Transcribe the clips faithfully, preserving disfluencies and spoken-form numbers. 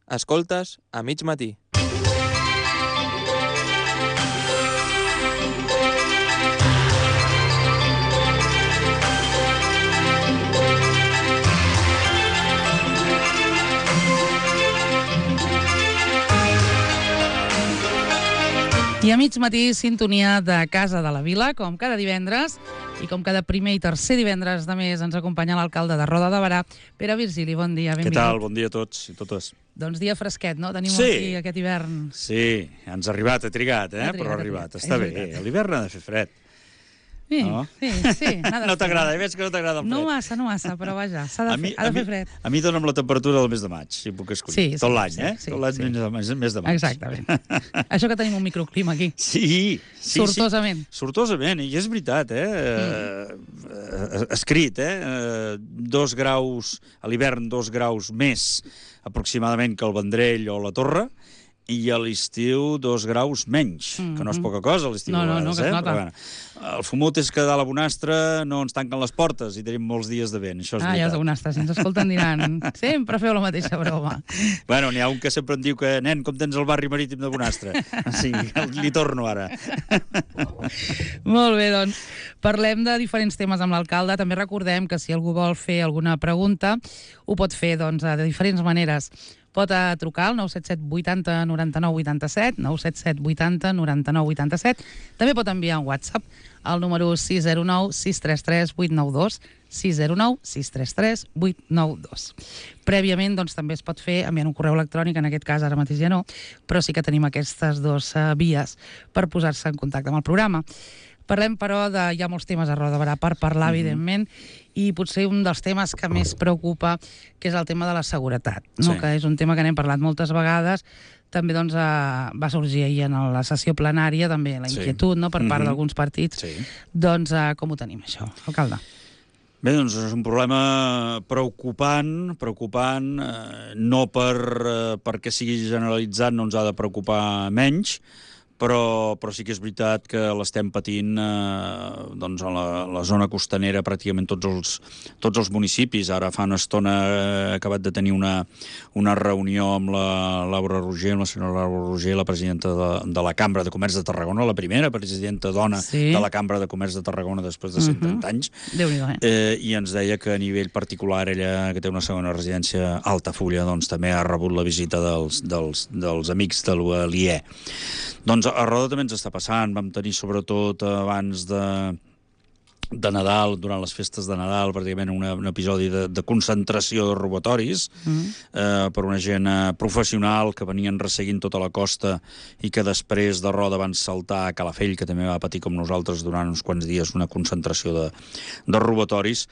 Escoltes a mig matí. I a mig matí, sintonia de Casa de la Vila, com cada divendres, i com cada primer i tercer divendres de mes ens acompanya l'alcalde de Roda de Berà, Pere Virgili. Bon dia, benvingut. Què tal? Bon dia a tots i totes. Doncs dia fresquet, no? Tenim sí. aquí aquest hivern. Sí, ens ha arribat, ha trigat, eh? Ha trigat, però ha arribat. Ha Està bé, l'hivern ha de fer fred. Sí, no? sí, sí. No t'agrada, veig que no t'agrada el fred. No massa, no massa, però vaja, s'ha de, mi, fer, ha de mi, fer fred. A mi dona'm la temperatura del mes de maig, si puc escollir. Sí, sí, Tot l'any, sí, eh? sí, Tot l'any sí. mes, mes de maig. Exactament. Això que tenim un microclima aquí. Sí, sí. Sortosament. Sí. Sortosament, i és veritat, eh? Mm. Eh, escrit, eh? Dos graus, a l'hivern dos graus més aproximadament que el Vendrell o la Torre, i a l'estiu dos graus menys, mm-hmm. que no és poca cosa a l'estiu. No, no, no, que es eh? nota. Però, bueno, el fumut és que a la Bonastre no ens tanquen les portes i tenim molts dies de vent, això és ah, veritat. ja els de Bonastre, si ens escolten diran sempre feu la mateixa broma. Bueno, n'hi ha un que sempre em diu que, nen, com tens el barri marítim de Bonastre? Sí, li torno ara. Molt bé, doncs, parlem de diferents temes amb l'alcalde. També recordem que si algú vol fer alguna pregunta, ho pot fer doncs, de diferents maneres. Pot trucar al nou set set vuitanta noranta-nou vuitanta-set, nou set set vuitanta noranta-nou vuitanta-set. També pot enviar un WhatsApp al número sis zero nou sis tres tres vuit nou dos, sis zero nou sis tres tres vuit nou dos. Prèviament, doncs, també es pot fer enviant un correu electrònic, en aquest cas ara mateix ja no, però sí que tenim aquestes dues uh, vies per posar-se en contacte amb el programa. Parlem, però, de... hi ha molts temes a Roda de Berà per parlar, mm-hmm. evidentment, i potser un dels temes que més preocupa, que és el tema de la seguretat, no? Sí. Que és un tema que n'hem parlat moltes vegades. També doncs, eh, va sorgir ahir en la sessió plenària també la inquietud, sí. no? per part mm-hmm. d'alguns partits. Sí. Doncs eh, com ho tenim, això, alcalde? Bé, doncs és un problema preocupant, preocupant, eh, no per, eh, perquè sigui generalitzat no ens ha de preocupar menys, Però, però sí que és veritat que l'estem patint eh, doncs a la, la zona costanera, pràcticament tots els, tots els municipis. Ara fa una estona he acabat de tenir una, una reunió amb la Laura Roger, amb la senyora Laura Roger, la presidenta de, de la Cambra de Comerç de Tarragona, la primera presidenta dona sí. de la Cambra de Comerç de Tarragona després de cent trenta uh-huh. anys. Déu-n'hi-do, eh? Eh, I ens deia que a nivell particular ella, que té una segona residència a Altafulla, doncs també ha rebut la visita dels, dels, dels amics de l'I E. Doncs a Roda també ens està passant. Vam tenir sobretot abans de, de Nadal, durant les festes de Nadal, pràcticament una, un episodi de, de concentració de robatoris mm. eh, per una gent professional que venien resseguint tota la costa i que després de Roda van saltar a Calafell, que també va patir com nosaltres durant uns quants dies una concentració de, de robatoris.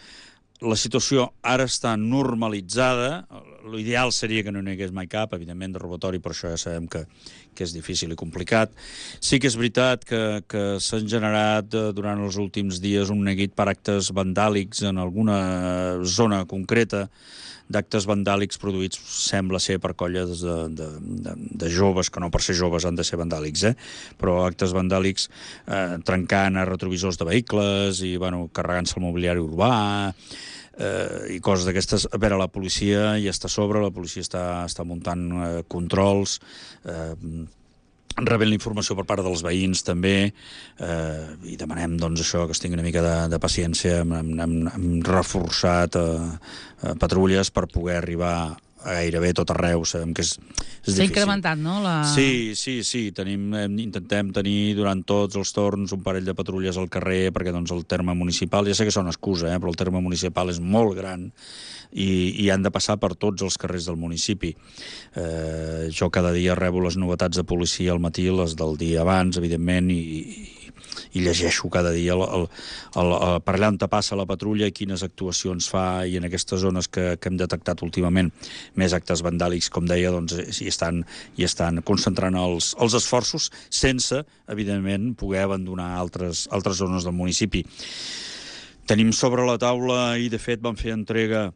La situació ara està normalitzada. L'ideal seria que no n'hi hagués mai cap, evidentment, de robatori, però això ja sabem que, que és difícil i complicat. Sí que és veritat que, que s'han generat eh, durant els últims dies un neguit per actes vandàlics en alguna zona concreta, d'actes vandàlics produïts, sembla ser, per colles de, de, de, de joves, que no per ser joves han de ser vandàlics, eh? però actes vandàlics eh, trencant a retrovisors de vehicles i bueno, carregant-se el mobiliari urbà, eh, i coses d'aquestes. A veure, la policia ja està a sobre, la policia està, està muntant eh, controls, eh, rebent la informació per part dels veïns també, eh, i demanem doncs això, que es tingui una mica de, de paciència. Hem, hem, hem reforçat eh, eh, patrulles per poder arribar a gairebé tot arreu. Sabem que és, és difícil. S'ha incrementat, no? La... Sí, sí, sí. Tenim, intentem tenir durant tots els torns un parell de patrulles al carrer, perquè doncs, el terme municipal, ja sé que és una excusa, eh, però el terme municipal és molt gran i, i han de passar per tots els carrers del municipi. Eh, jo cada dia rebo les novetats de policia al matí, les del dia abans, evidentment, i, i llegeixo cada dia el, el, el, el, per allà on passa la patrulla i quines actuacions fa, i en aquestes zones que, que hem detectat últimament més actes vandàlics, com deia, doncs hi estan, hi estan concentrant els, els esforços sense, evidentment, poder abandonar altres, altres zones del municipi. Tenim sobre la taula, i de fet vam fer entrega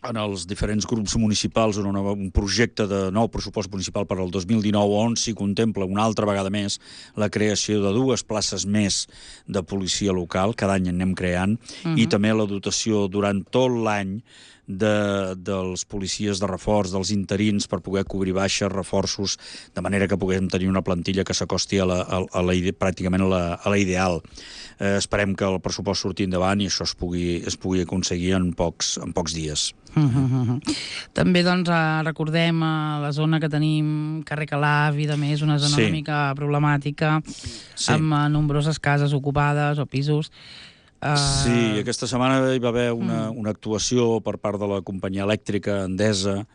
en els diferents grups municipals un, un projecte de nou pressupost municipal per al dos mil dinou, on s'hi contempla una altra vegada més la creació de dues places més de policia local, cada any en anem creant, uh-huh. i també la dotació durant tot l'any de, dels policies de reforç, dels interins, per poder cobrir baixes, reforços, de manera que puguem tenir una plantilla que s'acosti a la, a, a la, pràcticament a la, a la ideal. Eh, esperem que el pressupost surti endavant i això es pugui, es pugui aconseguir en pocs, en pocs dies. Uh -huh. També doncs, recordem la zona que tenim, carrer Calaf i de més, una zona sí. una mica problemàtica, sí. amb nombroses cases ocupades o pisos. Uh... Sí, aquesta setmana hi va haver una, una actuació per part de la companyia elèctrica Endesa,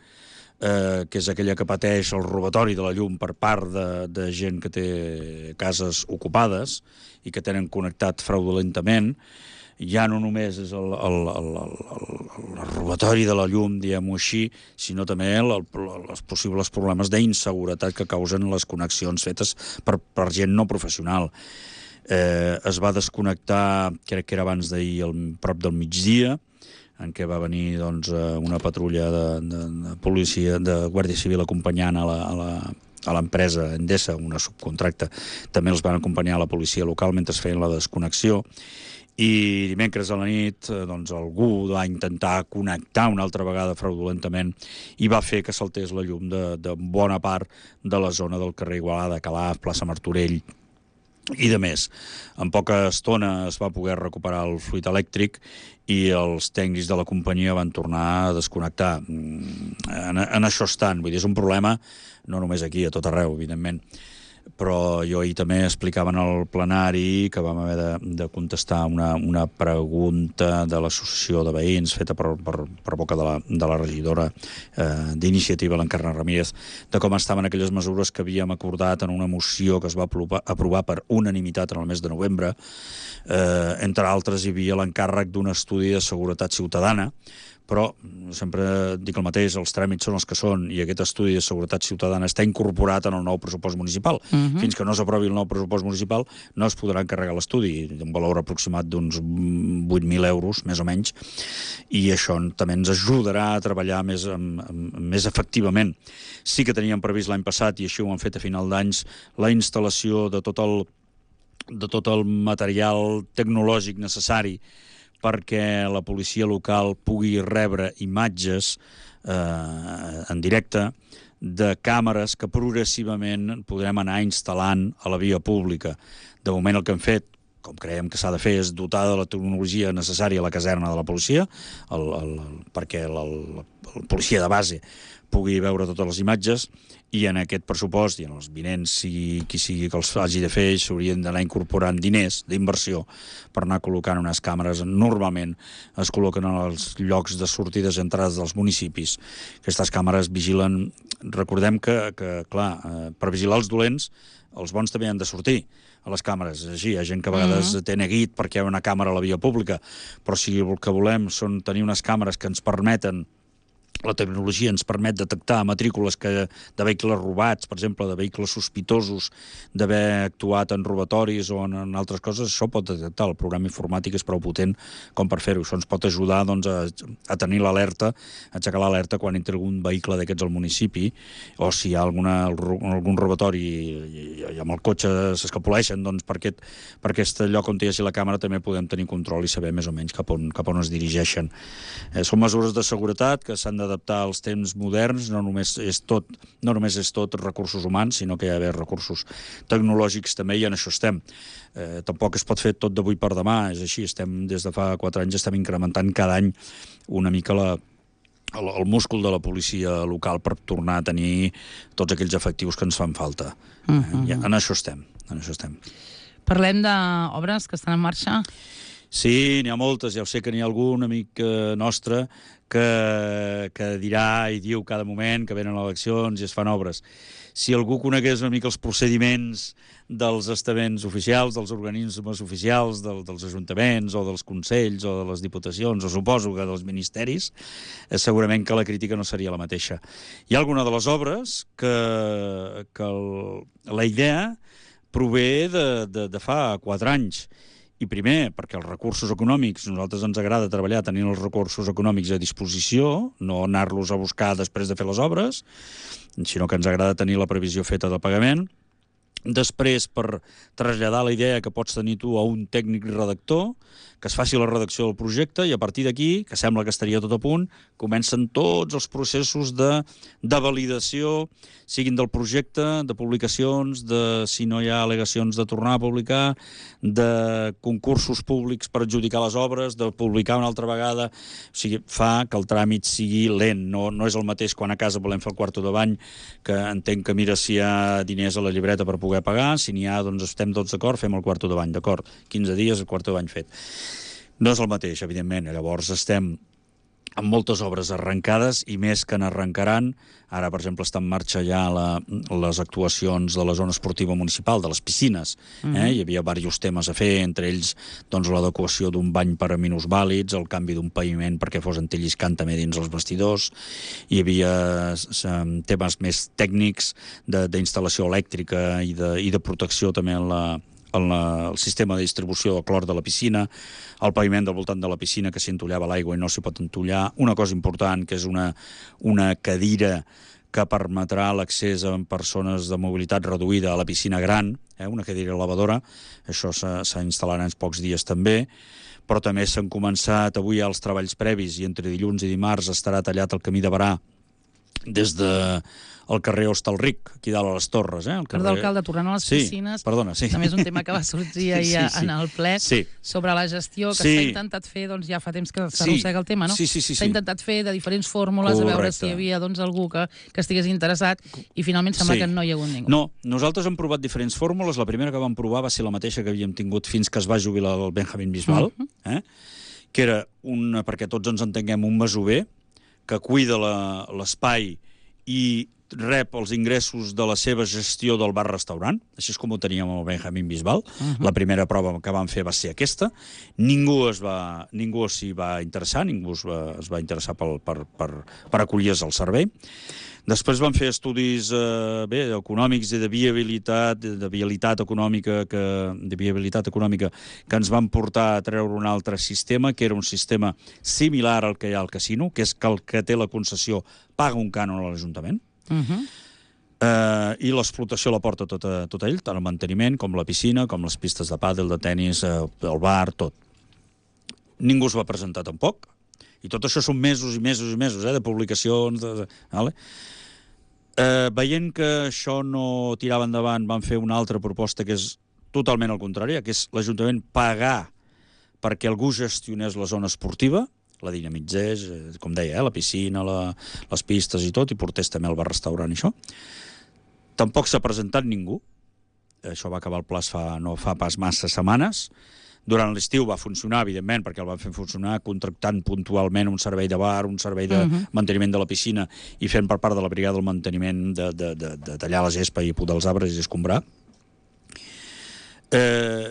eh, que és aquella que pateix el robatori de la llum per part de, de gent que té cases ocupades i que tenen connectat fraudulentament. Ja no només és el, el, el, el, el robatori de la llum, diguem-ho així, sinó també el, el, els possibles problemes d'inseguretat que causen les connexions fetes per, per gent no professional. Eh, es va desconnectar, crec que era abans d'ahir, al prop del migdia, en què va venir doncs, una patrulla de, de, de policia, de Guàrdia Civil acompanyant a la, a la, a l'empresa Endesa, una subcontracta. També els van acompanyar a la policia local mentre feien la desconnexió. I dimecres a la nit doncs, algú va intentar connectar una altra vegada fraudulentament i va fer que saltés la llum de, de bona part de la zona del carrer Igualada, Calaf, plaça Martorell i de més. En poca estona es va poder recuperar el fluid elèctric i els tècnics de la companyia van tornar a desconnectar. En, en això estan. Vull dir, és un problema no només aquí, a tot arreu, evidentment. Però jo ahir també explicava en el plenari que vam haver de, de contestar una, una pregunta de l'associació de veïns feta per, per, per boca de la, de la regidora eh, d'Iniciativa, l'Encarna Ramírez, de com estaven aquelles mesures que havíem acordat en una moció que es va aprovar, aprovar per unanimitat en el mes de novembre. Eh, entre altres, hi havia l'encàrrec d'un estudi de seguretat ciutadana, però sempre dic el mateix, els tràmits són els que són i aquest estudi de seguretat ciutadana està incorporat en el nou pressupost municipal. Uh-huh. Fins que no s'aprovi el nou pressupost municipal no es podrà encarregar l'estudi, un valor aproximat d'uns vuit mil euros, més o menys, i això també ens ajudarà a treballar més, amb, amb, més efectivament. Sí que teníem previst l'any passat, i així ho han fet a final d'anys, la instal·lació de tot el, de tot el material tecnològic necessari perquè la policia local pugui rebre imatges eh, en directe de càmeres que progressivament podrem anar instal·lant a la via pública. De moment el que hem fet, com creiem que s'ha de fer, és dotar de la tecnologia necessària a la caserna de la policia, el, el, perquè el, el, el policia de base pugui veure totes les imatges, i en aquest pressupost i en els vinents, sigui qui sigui que els hagi de fer, s'haurien d'anar incorporant diners d'inversió per anar col·locant unes càmeres. Normalment es col·loquen en els llocs de sortides i entrades dels municipis. Aquestes càmeres vigilen... Recordem que, que clar, per vigilar els dolents, els bons també han de sortir a les càmeres. És així, hi ha gent que a vegades uh-huh. té neguit perquè hi ha una càmera a la via pública, però si el que volem són tenir unes càmeres que ens permeten, la tecnologia ens permet detectar matrícules que, de vehicles robats, per exemple, de vehicles sospitosos d'haver actuat en robatoris o en, en altres coses, això pot detectar. El programa informàtic és prou potent com per fer-ho. Això ens pot ajudar doncs, a, a tenir l'alerta, a aixecar l'alerta quan entri algun vehicle d'aquests al municipi, o si hi ha alguna, algun robatori i, i amb el cotxe s'escapoleixen, doncs per aquest, per aquest lloc on hi hagi la càmera també podem tenir control i saber més o menys cap on, cap on es dirigeixen. Eh, són mesures de seguretat que s'han d'adaptar als temps moderns, no només és tot, no només és tot recursos humans, sinó que hi ha d'haver recursos tecnològics també, i en això estem. Eh, tampoc es pot fer tot d'avui per demà, és així, estem des de fa quatre anys estem incrementant cada any una mica la, el, el múscul de la policia local per tornar a tenir tots aquells efectius que ens fan falta. Uh-huh. eh, en això estem, en això estem. Parlem d'obres que estan en marxa? Sí, n'hi ha moltes, ja ho sé que n'hi ha algun amic eh, nostre que, que dirà i diu cada moment que venen eleccions i es fan obres. Si algú conegués una mica els procediments dels estaments oficials, dels organismes oficials, del, dels ajuntaments o dels consells o de les diputacions, o suposo que dels ministeris, eh, segurament que la crítica no seria la mateixa. Hi ha alguna de les obres que, que el, la idea prové de, de, de fa quatre anys. I primer, perquè els recursos econòmics, a nosaltres ens agrada treballar tenint els recursos econòmics a disposició, no anar-los a buscar després de fer les obres, sinó que ens agrada tenir la previsió feta de pagament. Després, per traslladar la idea que pots tenir tu a un tècnic redactor, que es faci la redacció del projecte, i a partir d'aquí, que sembla que estaria tot a punt, comencen tots els processos de, de validació, siguin del projecte, de publicacions, de si no hi ha al·legacions de tornar a publicar, de concursos públics per adjudicar les obres, de publicar una altra vegada. O sigui, fa que el tràmit sigui lent. No, no és el mateix quan a casa volem fer el quarto de bany, que entenc que mira si hi ha diners a la llibreta per poder pagar, si n'hi ha, doncs estem tots d'acord, fem el quarto de bany, d'acord, quinze dies el quarto de bany fet. No és el mateix, evidentment. Llavors estem amb moltes obres arrencades i més que n'arrencaran. Ara, per exemple, està en marxa ja la, les actuacions de la zona esportiva municipal, de les piscines. Mm-hmm. eh? Hi havia diversos temes a fer, entre ells doncs, l'adequació d'un bany per a minusvàlids, el canvi d'un paviment perquè fos antilliscant també dins els vestidors. Hi havia temes més tècnics d'instal·lació elèctrica i de, i de protecció també en la el, el sistema de distribució del clor de la piscina, el paviment del voltant de la piscina que s'hi entollava l'aigua i no s'hi pot entollar, una cosa important que és una, una cadira que permetrà l'accés a persones de mobilitat reduïda a la piscina gran, eh, una cadira elevadora, això s'instal·larà en pocs dies també, però també s'han començat avui els treballs previs i entre dilluns i dimarts estarà tallat el camí de Barà des de el carrer Hostalric, aquí dalt a les Torres. Eh? El carrer... Perdó, alcalde, tornant a les sí, piscines, perdona, sí. també és un tema que va sorgir ahir sí, sí, sí. en el ple, sí. sobre la gestió que s'ha sí. intentat fer, doncs ja fa temps que s'arrossega sí. el tema, no? Sí, sí, sí, s'ha sí. intentat fer de diferents fórmules, correcte, a veure si hi havia doncs, algú que, que estigués interessat, i finalment sembla sí. que no hi ha hagut ningú. No, nosaltres hem provat diferents fórmules. La primera que vam provar va ser la mateixa que havíem tingut fins que es va jubilar el Benjamín Bisbal, uh -huh. eh? que era, un, perquè tots ens entenguem, un masover que cuida l'espai i rep els ingressos de la seva gestió del bar-restaurant, així és com ho teníem amb el Benjamín Bisbal. Uh-huh. La primera prova que vam fer va ser aquesta. Ningú es va, ningú s'hi va interessar, ningú es va, es va interessar pel, per, per, per acollir-se al servei. Després van fer estudis eh, bé, econòmics i de viabilitat, de viabilitat econòmica que, de viabilitat econòmica que ens van portar a treure un altre sistema, que era un sistema similar al que hi ha al casino, que és que el que té la concessió paga un cànon a l'Ajuntament. Uh-huh. eh, i l'explotació la porta tota, tot ell, tant el manteniment com la piscina, com les pistes de pàdel, de tennis, eh, el bar, tot. Ningú es va presentar tampoc, i tot això són mesos i mesos i mesos eh, de publicacions, de, de, vale? eh, veient que això no tirava endavant, van fer una altra proposta que és totalment al contrari, que és l'Ajuntament pagar perquè algú gestionés la zona esportiva, la dinamitzés, com deia, eh, la piscina, la, les pistes i tot, i portés també al bar-restaurant i això. Tampoc s'ha presentat ningú. Això va acabar el pla fa, no fa pas massa setmanes. Durant l'estiu va funcionar, evidentment, perquè el van fer funcionar contractant puntualment un servei de bar, un servei de uh-huh. manteniment de la piscina i fent per part de la brigada el manteniment de, de, de, de tallar la gespa i podar els arbres i escombrar. Eh,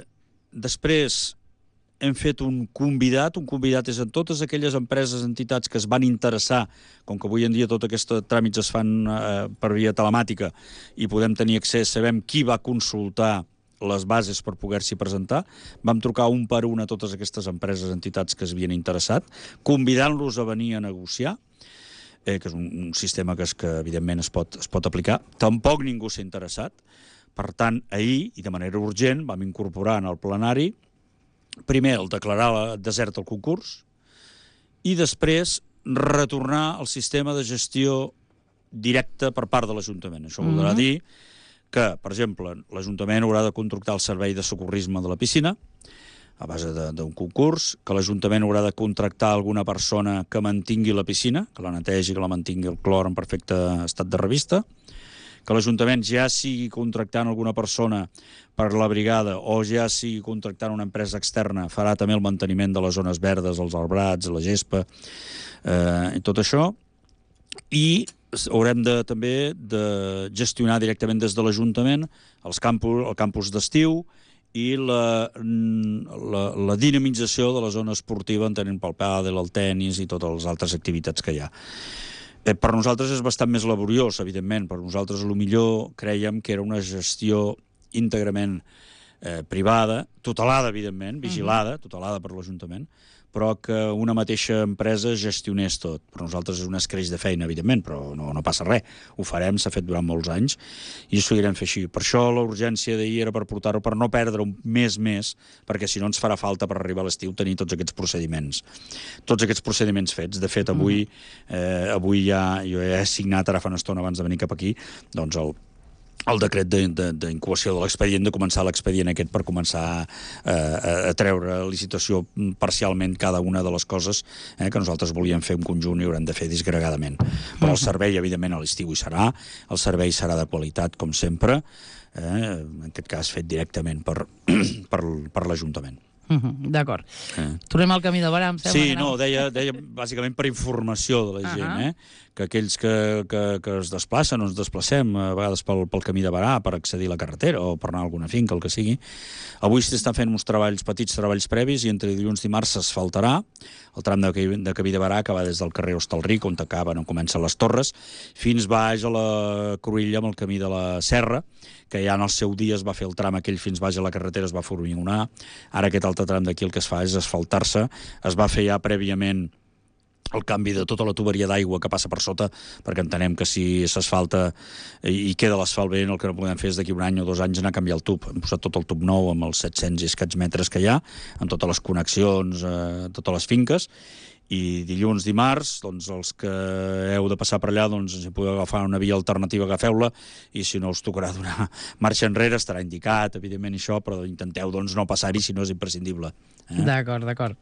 després hem fet un convidat, un convidat és en totes aquelles empreses, entitats que es van interessar, com que avui en dia tots aquests tràmits es fan eh, per via telemàtica i podem tenir accés, sabem qui va consultar les bases per poder-s'hi presentar, vam trucar un per un a totes aquestes empreses, entitats que es havien interessat, convidant-los a venir a negociar, eh, que és un, un sistema que, és, que evidentment es pot, es pot aplicar. Tampoc ningú s'ha interessat. Per tant, ahir, i de manera urgent, vam incorporar en el plenari primer el declarar desert al concurs i després retornar al sistema de gestió directa per part de l'Ajuntament. Això mm-hmm. voldrà dir que, per exemple, l'Ajuntament haurà de contractar el servei de socorrisme de la piscina a base d'un concurs, que l'Ajuntament haurà de contractar alguna persona que mantingui la piscina, que la netegi, que la mantingui el clor en perfecte estat de revista, que l'Ajuntament ja sigui contractant alguna persona per la brigada o ja sigui contractant una empresa externa, farà també el manteniment de les zones verdes, els arbrats, la gespa, eh, i tot això, i haurem de, també de gestionar directament des de l'Ajuntament els campus, el campus d'estiu i la, la, la dinamització de la zona esportiva entenent pel pàdel, el tennis i totes les altres activitats que hi ha. Eh, per nosaltres és bastant més laboriós, evidentment. Per nosaltres, a lo millor, creiem que era una gestió íntegrament eh, privada, tutelada, evidentment, vigilada, tutelada per l'Ajuntament, però que una mateixa empresa gestionés tot. Per nosaltres és un escreix de feina, evidentment, però no, no passa res. Ho farem, s'ha fet durant molts anys, i ho seguirem fer així. Per això la urgència d'ahir era per portar-ho, per no perdre un mes més, perquè si no ens farà falta per arribar a l'estiu tenir tots aquests procediments. Tots aquests procediments fets. De fet, avui, eh, avui ja, jo ja he signat ara fa una estona abans de venir cap aquí, doncs el el decret d'incubació de, de, de l'expedient, de començar l'expedient aquest per començar eh, a, a treure a licitació parcialment cada una de les coses eh, que nosaltres volíem fer en conjunt i haurem de fer disgregadament. Però el servei, evidentment, a l'estiu hi serà, el servei serà de qualitat, com sempre, eh, en aquest cas fet directament per, per, per l'Ajuntament. Uh -huh, d'acord. Eh. Tornem al camí de Barà, em sembla. Sí, no, deia, deia bàsicament per informació de la gent, uh -huh. eh? que aquells que, que, que es desplacen o ens desplacem a vegades pel, pel camí de Barà per accedir a la carretera o per anar a alguna finca, el que sigui. Avui s'estan fent uns treballs, petits treballs previs, i entre dilluns i dimarts s'asfaltarà el tram de, de Camí de Barà, que va des del carrer Hostalric, on acaben, on comencen les Torres, fins baix a la Cruïlla amb el camí de la Serra, que ja en el seu dia es va fer el tram aquell fins baix a la carretera, es va formigonar. Ara aquest altre tram d'aquí el que es fa és asfaltar-se. Es va fer ja prèviament el canvi de tota la tuberia d'aigua que passa per sota, perquè entenem que si s'asfalta i queda l'asfalt bé, el que no podem fer és d'aquí un any o dos anys anar a canviar el tub. Hem posat tot el tub nou amb els set-cents i escaig metres que hi ha, amb totes les connexions, eh, totes les finques, i dilluns, dimarts, doncs els que heu de passar per allà, doncs si podeu agafar una via alternativa, agafeu-la, i si no us tocarà donar marxa enrere, estarà indicat, evidentment, això, però intenteu doncs no passar-hi si no és imprescindible. Eh? D'acord, d'acord.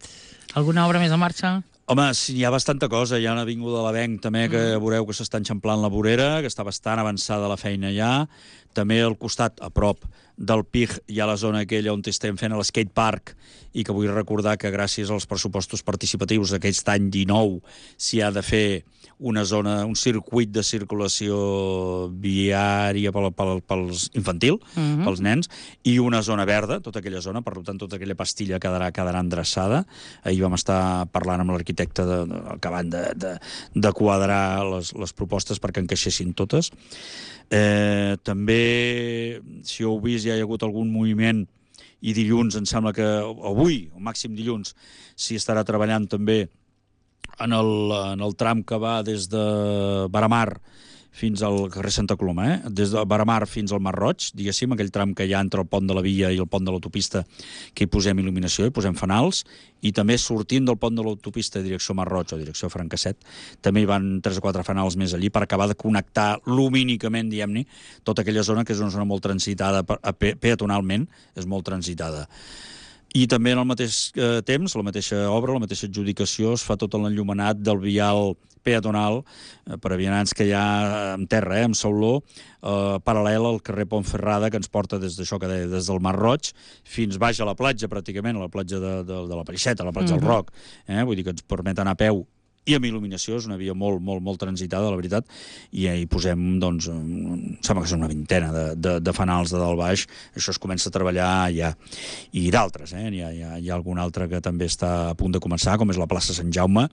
Alguna obra més en marxa? Home, sí, hi ha bastanta cosa. Hi ha una avinguda de l'Avenc també, que mm. veureu que s'està enxamplant la vorera, que està bastant avançada la feina ja. També al costat, a prop del P I G, hi ha la zona aquella on estem fent l'skate park, i que vull recordar que gràcies als pressupostos participatius d'aquest any dinou s'hi ha de fer una zona, un circuit de circulació viària pel, pel, pels infantil, uh-huh. pels nens, i una zona verda, tota aquella zona, per tant, tota aquella pastilla quedarà, quedarà endreçada. Ahir vam estar parlant amb l'arquitecte de, de, acabant de, de, de quadrar les, les propostes perquè encaixessin totes. Eh, també, si heu vist, ja hi ha hagut algun moviment, i dilluns, em sembla que avui, o màxim dilluns, s'hi estarà treballant també en el, en el tram que va des de Baramar fins al carrer Santa Coloma, eh? Des de Baramar fins al Mar Roig, diguéssim, aquell tram que hi ha entre el pont de la Via i el pont de l'autopista, que hi posem il·luminació, hi posem fanals, i també sortint del pont de l'autopista direcció Mar Roig o direcció Francasset, també hi van tres o quatre fanals més allí per acabar de connectar lumínicament, diguem-ne, tota aquella zona, que és una zona molt transitada pe peatonalment, és molt transitada. I també en el mateix eh, temps, la mateixa obra, la mateixa adjudicació, es fa tot l'enllumenat del vial peatonal eh, per a vianants que hi ha en terra, eh, amb sauló, eh, paral·lel al carrer Pontferrada, que ens porta des d'això que deia, des del Mar Roig fins baix a la platja, pràcticament, a la platja de, de, de la Peixeta, a la platja uh-huh. del Roc. Eh? Vull dir que ens permet anar a peu i amb il·luminació, és una via molt, molt, molt transitada, la veritat, i hi posem, doncs, em sembla que és una vintena de, de, de fanals de dalt baix. Això es comença a treballar ja. I d'altres, eh? Hi ha, hi ha, hi ha algun altre que també està a punt de començar, com és la plaça Sant Jaume.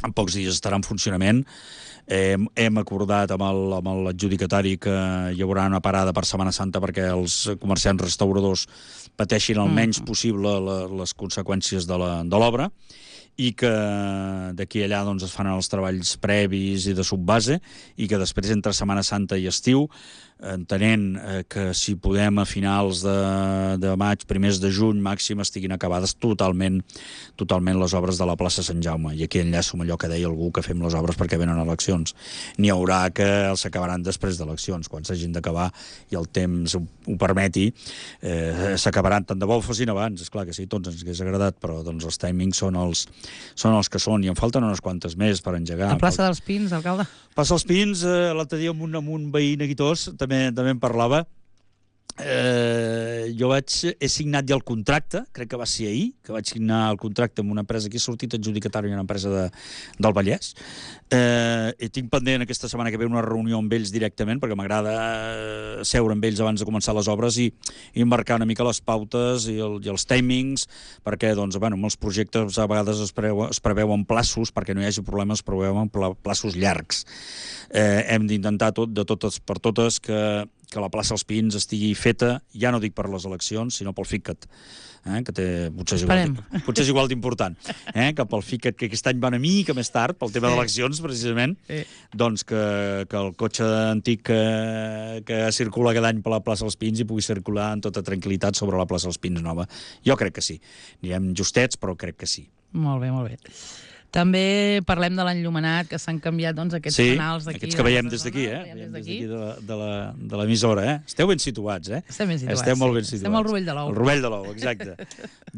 En pocs dies estarà en funcionament. Hem, hem acordat amb l'adjudicatari que hi haurà una parada per Setmana Santa perquè els comerciants restauradors pateixin el menys possible la, les conseqüències de l'obra, i que d'aquí allà doncs, es fan els treballs previs i de subbase, i que després entre Setmana Santa i estiu, entenent eh, que si podem a finals de, de maig, primers de juny màxim, estiguin acabades totalment totalment les obres de la plaça Sant Jaume. I aquí enllaço amb allò que deia algú, que fem les obres perquè venen eleccions. N'hi haurà que els acabaran després d'eleccions, quan s'hagin d'acabar i el temps ho, ho permeti, eh, s'acabaran, tant de bo ho fossin abans, és clar que sí, tots ens hagués agradat, però doncs, els timings són els, són els que són, i en falten unes quantes més per engegar. La plaça dels Pins, alcalde? Plaça dels Pins, eh, l'altre dia amb un, amb un veí neguitós, també, també en parlava. Eh, jo vaig, he signat ja el contracte, crec que va ser ahir, que vaig signar el contracte amb una empresa que he sortit adjudicatari, una empresa de, del Vallès. Eh, i tinc pendent aquesta setmana que ve una reunió amb ells directament, perquè m'agrada seure amb ells abans de començar les obres i, i marcar una mica les pautes i, el, i els timings, perquè doncs, bueno, amb els projectes a vegades es, preveu, es preveuen plaços, perquè no hi hagi problemes, es preveuen plaços llargs. Eh, hem d'intentar tot, de totes per totes, que que la plaça dels Pins estigui feta, ja no dic per les eleccions, sinó pel FICAT, eh, que té, potser és igual, potser és igual d'important, eh, que pel FICAT, que aquest any va una mica més tard, pel tema sí. d'eleccions, precisament, sí. doncs que, que el cotxe antic que, que circula cada any per la plaça dels Pins i pugui circular en tota tranquil·litat sobre la plaça dels Pins nova. Jo crec que sí. Anirem justets, però crec que sí. Molt bé, molt bé. També parlem de l'enllumenat, que s'han canviat doncs, aquests sí, fanals d'aquí. Sí, aquests que veiem des d'aquí, eh? Veiem des d'aquí de l'emissora, eh? Esteu ben situats, eh? Estem ben situats, Esteu molt ben sí. situats. Estem al Rovell de l'Ou. El Rovell de l'Ou, exacte.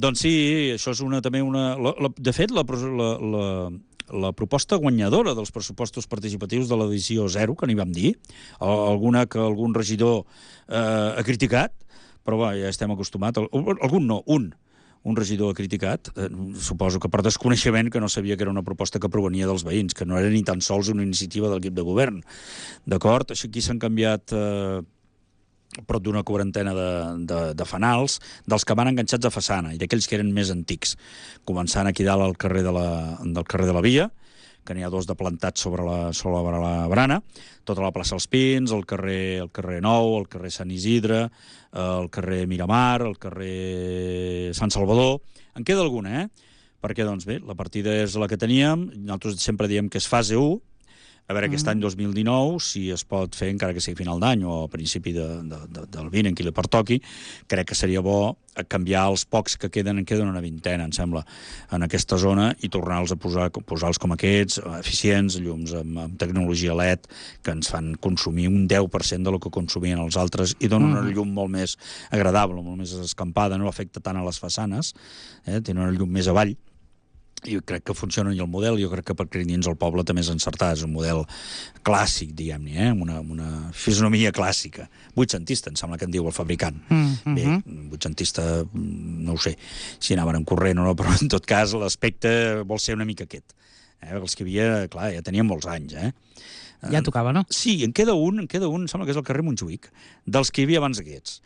Doncs sí, això és una, també una... La, la, de fet, la, la, la, la proposta guanyadora dels pressupostos participatius de l'edició zero, que n'hi vam dir, alguna que algun regidor eh, ha criticat, però va, ja estem acostumats. Algun no, un. un regidor ha criticat, eh, suposo que per desconeixement, que no sabia que era una proposta que provenia dels veïns, que no era ni tan sols una iniciativa de l'equip de govern. D'acord? Així aquí s'han canviat eh, prop d'una quarantena de, de, de fanals, dels que van enganxats a façana i d'aquells que eren més antics. Començant aquí dalt al carrer de la, del carrer de la Via, que n'hi ha dos de plantats sobre la, sobre la barana, tota la plaça dels Pins, el carrer, el carrer Nou, el carrer Sant Isidre, el carrer Miramar, el carrer Sant Salvador. En queda alguna, eh? Perquè, doncs bé, la partida és la que teníem, nosaltres sempre diem que és fase u, a veure aquest any dos mil dinou, si es pot fer, encara que sigui final d'any o a principi de, de, de, del vint, en qui li pertoqui, crec que seria bo canviar els pocs que queden, en queden una vintena, em sembla, en aquesta zona, i tornar-los a posar, posar-los com aquests, eficients, llums amb, amb tecnologia L E D, que ens fan consumir un deu per cent de lo que consumien els altres, i donen una llum molt més agradable, molt més escampada, no afecta tant a les façanes, eh? Tenen una llum més avall, i crec que funciona i el model, jo crec que per dins el poble també és encertat, és un model clàssic, diguem-ne, eh? una, una fisonomia clàssica. Vuitcentista, em sembla que en diu el fabricant. Mm -hmm. Bé, vuitcentista, no ho sé si anaven en corrent o no, però en tot cas l'aspecte vol ser una mica aquest. Eh? Els que hi havia, clar, ja tenien molts anys, eh? Ja tocava, no? Sí, en queda un, en queda un, em sembla que és el carrer Montjuïc, dels que hi havia abans d'aquests.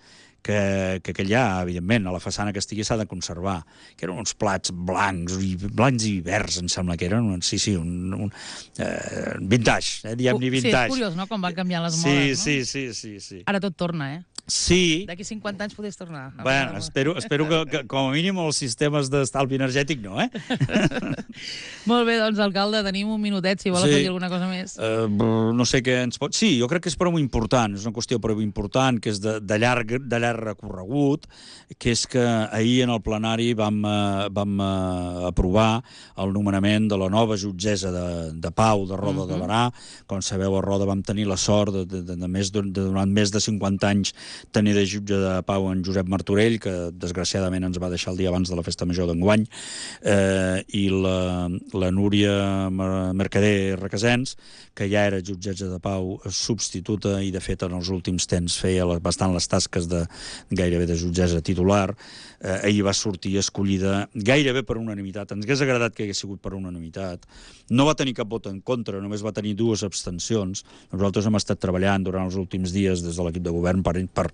Que, que aquell ja, evidentment, a la façana que estigui s'ha de conservar, que eren uns plats blancs i blancs i verds, em sembla que eren, sí, sí, un, un eh, vintage, eh, diguem-ne vintage. Sí, és curiós, no?, com van canviar les sí, modes, no? Sí, sí, sí, sí. Ara tot torna, eh? Sí. D'aquí cinquanta anys podés tornar. Bueno, espero, espero que, que com a mínim els sistemes d'estalvi energètic no, eh? Molt bé, doncs, alcalde, tenim un minutet, si vol sí. afegir alguna cosa més. Uh, no sé què ens pot... Sí, jo crec que és prou important, és una qüestió prou important, que és de, de, llarg, de llarg recorregut, que és que ahir en el plenari vam, uh, vam uh, aprovar el nomenament de la nova jutgessa de, de Pau de Roda uh -huh. de Barà. Com sabeu, a Roda vam tenir la sort de, de, de, de, més, de, de durant més de cinquanta anys tenir de jutge de Pau en Josep Martorell, que desgraciadament ens va deixar el dia abans de la festa major d'enguany, eh, i la, la Núria Mercader Requesens, que ja era jutgessa de Pau substituta i, de fet, en els últims temps feia bastant les tasques de gairebé de jutgessa titular. Eh, ahir va sortir escollida gairebé per unanimitat. Ens hagués agradat que hagués sigut per unanimitat. No va tenir cap vot en contra, només va tenir dues abstencions. Nosaltres hem estat treballant durant els últims dies des de l'equip de govern per, per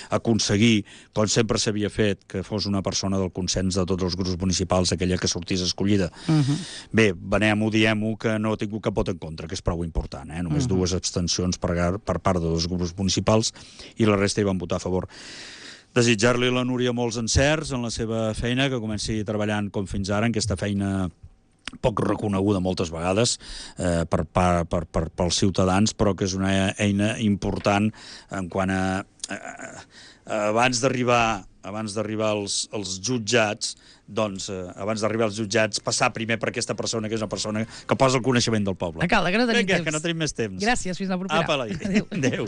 aconseguir, com sempre s'havia fet, que fos una persona del consens de tots els grups municipals, aquella que sortís escollida. Uh-huh. Bé, venem-ho, diem-ho, que no ha tingut cap vot en contra, que és prou important, eh? Només uh-huh. dues abstencions per, per part de dos grups municipals i la resta hi van votar a favor. Desitjar-li a la Núria molts encerts en la seva feina, que comenci treballant com fins ara, en aquesta feina poc reconeguda moltes vegades eh, per, per, per, per, pels ciutadans, però que és una eina important en quant a... a, a abans d'arribar abans d'arribar als, als jutjats, doncs, eh, abans d'arribar als jutjats, passar primer per aquesta persona, que és una persona que posa el coneixement del poble. Alcalde, que no tenim Vinga, temps. que no tenim més temps. Gràcies, fins la propera. Apa, adéu. Adéu.